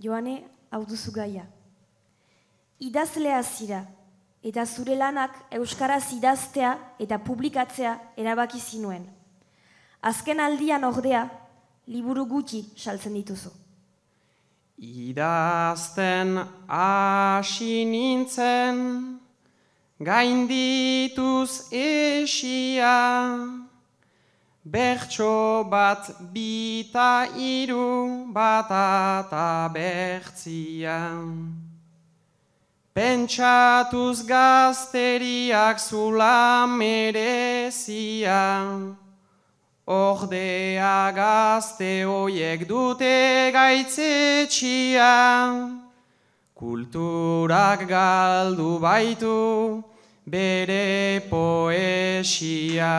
Joane, hau duzu gaia. Idazlea zira, eta zure lanak euskaraz idaztea eta publikatzea erabaki zinuen. Azken aldian ordea, liburu gutxi saltzen dituzu. Idazten hasi nintzen, gaindituz esia, bertso bat, bita, hiru, bata eta bertzia. Pentsatuz gazteriak zula merezia, ordea gazte hoiek dute gaitzetxia, kulturak galdu baitu bere poesia.